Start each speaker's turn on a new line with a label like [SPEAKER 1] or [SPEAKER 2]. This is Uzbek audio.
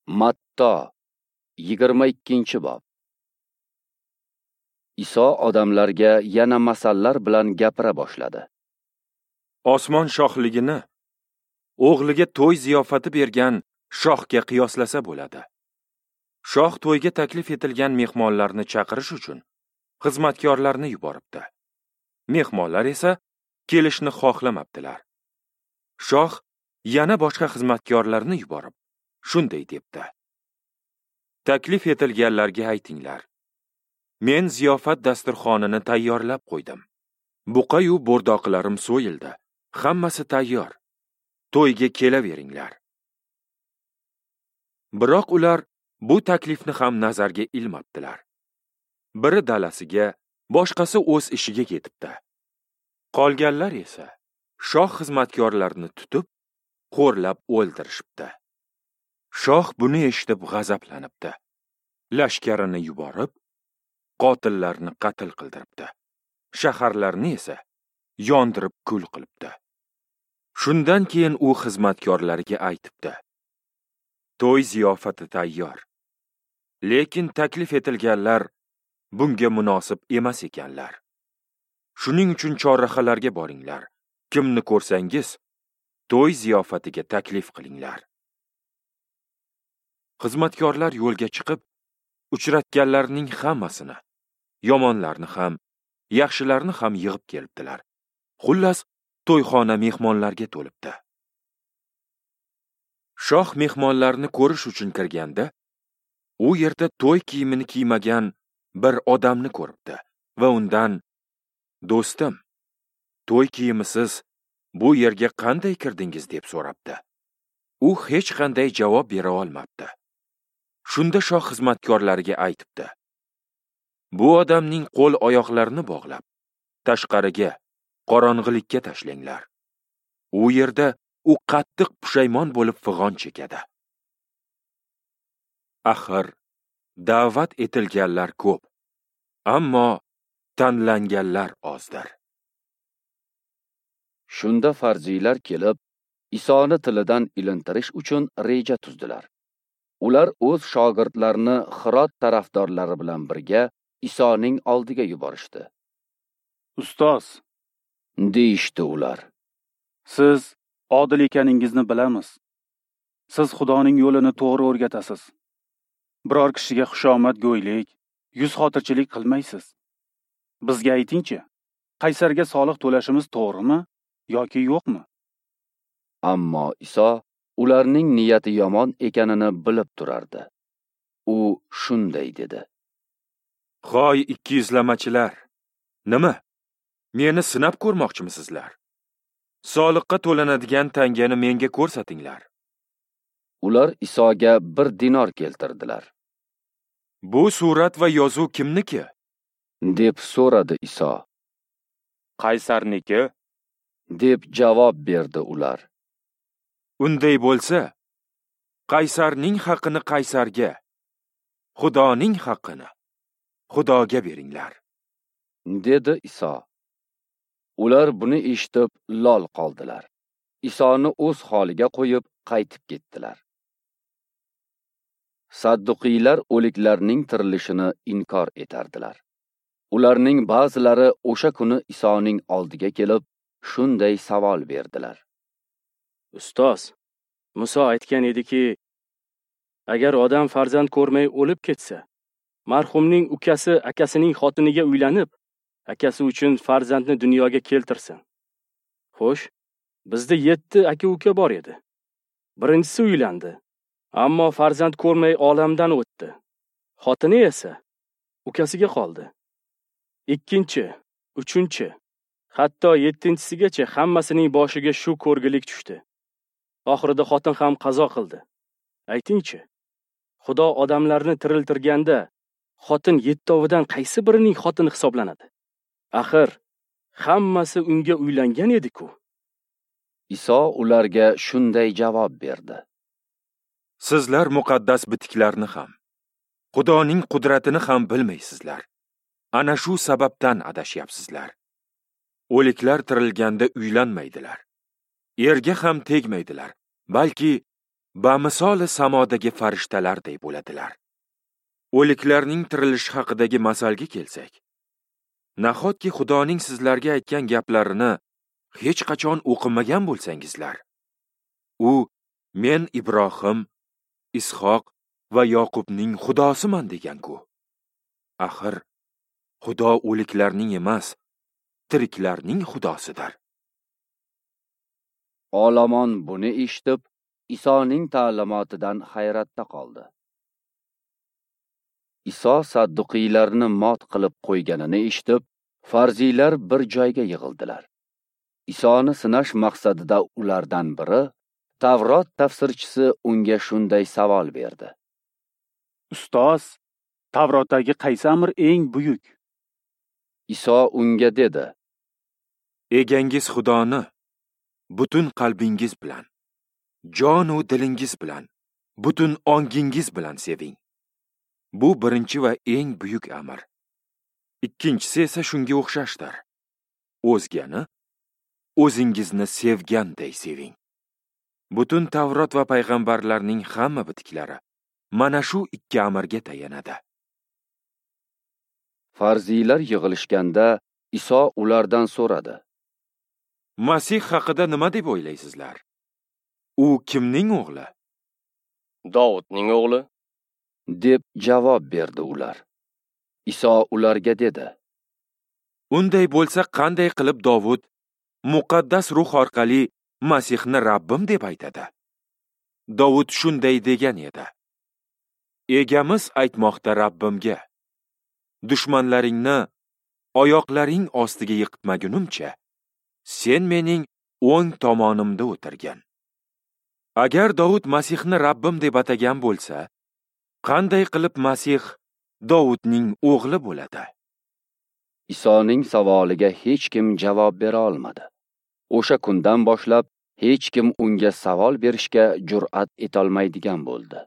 [SPEAKER 1] Matto 22-bob. Iso odamlarga yana masallar bilan gapira boshladi.
[SPEAKER 2] Osmon shohligini o'g'liga to'y ziyofati bergan shohga qiyoslasa bo'ladi. Shoh to'yga taklif etilgan mehmonlarni chaqirish uchun xizmatkorlarni yuboribdi. Mehmonlar esa kelishni xohlamabdilar. Shoh yana boshqa xizmatkorlarni yuborib, shunday debdi: Taklif etilganlarga aytinglar. Men ziyofat dasturxonini tayyorlab qo'ydim. Buqayu bo'rdoqlarim so'yildi. Hammasi tayyor. To'yga kelaveringlar. Biroq ular bu taklifni ham nazarga ilmabdilar. Biri dalasiga, boshqasi o'z ishiga ketibdi. Qolganlar esa shoh xizmatkorlarini tutib, xo'rlab o'ldirishibdi. Shoh buni eshitib g'azablanibdi. Lashkarini yuborib, qotillarni qatl qildiribdi. Shaharlarni esa yondirib kul qilibdi. Shundan keyin u xizmatkorlariga aytibdi: To'y ziyofati tayyor. Lekin taklif etilganlar bunga munosib emas ekanlar. Shuning uchun chorrahalarga boringlar. Kimni ko'rsangiz, to'y ziyofatiga taklif qilinglar. Xizmatkorlar yo'lga chiqib, uchratganlarning hammasini, yomonlarni ham, yaxshilarni ham yig'ib kelibdilar. Xullas, to'yxona mehmonlarga to'libdi. Shoh mehmonlarni ko'rish uchun kirganda, u yerda to'y kiyimini kiymagan bir odamni ko'ribdi va undan: "Do'stim, to'y kiyimisiz bu yerga qanday kirdingiz?" deb so'rabdi. U hech qanday javob bera olmabdi. Shunda shoh xizmatkorlariga aytibdi: "Bu odamning qo'l oyoqlarini bog'lab, tashqariga, qorong'ilikka tashlanglar. U yerda u qattiq pushaymon bo'lib fig'on chekadi." Axir da'vat etilganlar ko'p, ammo tanlanganlar ozdir.
[SPEAKER 1] Shunda farziylar kelib, Isoni tilidan ilintirish uchun reja tuzdilar. Ular o'z shogirdlarini Hirod tarafdorlari bilan birga Isoning oldiga yuborishdi.
[SPEAKER 3] "Ustoz,"
[SPEAKER 1] deyishdi ular,
[SPEAKER 3] "siz odil ekaningizni bilamiz. Siz Xudoning yo'lini to'g'ri o'rgatasiz. Biror kishiga xushomadgo'ylik, yuz xotirchilik qilmaysiz. Bizga aytingchi, qaysarga soliq to'lashimiz to'g'rimi yoki yo'qmi?"
[SPEAKER 1] Ammo Iso ularning niyati yomon ekanini bilib turardi. U shunday dedi:
[SPEAKER 2] "Hoy ikkiyuzlamachilar, nima? Meni sinab ko'rmoqchimisizlar? Soliqqa to'lanadigan tangani menga ko'rsatinglar."
[SPEAKER 1] Ular Isoga 1 dinor keltirdilar.
[SPEAKER 2] "Bu surat va yozuv kimniki?"
[SPEAKER 1] deb so'radi Iso.
[SPEAKER 2] "Qaysarniki,"
[SPEAKER 1] deb javob berdi ular.
[SPEAKER 2] "Unday bo'lsa, Qaysarning haqini Qaysarga, Xudoning haqini Xudoga beringlar,"
[SPEAKER 1] dedi Iso. Ular buni eshitib lol qoldilar. Isoni o'z holiga qo'yib qaytib ketdilar. Sadduqiylar o'liklarning tirilishini inkor etardilar. Ularning ba'zilari o'sha kuni Isoning oldiga kelib, shunday savol berdilar:
[SPEAKER 4] "Ustoz, Muso aytgan ediki, agar odam farzand ko'rmay o'lib ketsa, marhumning ukasi akasining xotiniga uylanib, akasi uchun farzandni dunyoga keltirsin. Xo'sh, bizda 7 aka-uka bor edi. Birinchisi uylandi, ammo farzand ko'rmay olamdan o'tdi. Xotini esa ukasiga qoldi. 2-chi, 3-chi, hatto 7-chisigacha hammasining boshiga shu ko'rgilik tushdi. Oxirida xotin ham qazo qildi. Aytingchi, Xudo odamlarni tiriltirganda xotin 7 qaysi birining xotini hisoblanadi? Axir hammasi unga uylangan edi-ku."
[SPEAKER 1] Iso ularga shunday javob berdi:
[SPEAKER 2] "Sizlar muqaddas bitiklarni ham, Xudoning qudratini ham bilmaysizlar. Ana shu sababdan adashyapsizlar. O'liklar tirilganda uylanmaydilar. Erga ham tegmaydilar, balki bamisoli samodagi farishtalarday bo'ladilar. O'liklarning tirilishi haqidagi masalga kelsak, nahotki Xudoning sizlarga aytgan gaplarini hech qachon o'qimagan bo'lsangizlar? U men Ibrohim, Ishoq va Yoqubning Xudosiman degan-ku. Axir Xudo o'liklarning emas, tiriklarning Xudosidir.
[SPEAKER 1] Olomon buni eshitib, Isoning ta'limotidan hayratda qoldi. Iso sadduqiylarni mot qilib qo'yganini eshitib, farziylar bir joyga yig'ildilar. Isoni sinash maqsadida ulardan biri, Tavrot tafsirchisi unga shunday savol berdi:
[SPEAKER 3] Ustoz, Tavrotdagi qaysi amr eng buyuk?
[SPEAKER 1] Iso unga dedi:
[SPEAKER 2] Egangiz Xudoni butun qalbingiz bilan, jon u dilingiz bilan, butun ongingiz bilan seving. Bu birinchi va eng buyuk amr. Ikkinchisi esa shunga o'xshashdir. O'zgani o'zingizni sevganday seving. Butun Tavrot va payg'ambarlarning hamma bitiklari mana shu ikki amrga tayanadi.
[SPEAKER 1] Farziylar yig'ilishganda Iso ulardan so'radi:
[SPEAKER 2] Masih haqida nima deb o'ylaysizlar? U kimning o'g'li?
[SPEAKER 4] Dovudning o'g'li,
[SPEAKER 1] deb javob berdi ular. Iso ularga dedi:
[SPEAKER 2] Unday bo'lsa, qanday qilib Dovud muqaddas ruh orqali Masihni Rabbim deb aytadi? Dovud shunday degan edi: Egamiz aytmoqda Rabbimga: dushmanlaringni oyoqlaring ostiga yiqitmagunimcha, sen mening o'ng tomonimda o'tirgin. Agar Dovud Masihni Rabbim deb atagan bo'lsa, qanday qilib Masih Dovudning o'g'li bo'ladi?
[SPEAKER 1] Isoning savoliga hech kim javob bera olmadi. O'sha kundan boshlab hech kim unga savol berishga jur'at etolmaydigan bo'ldi.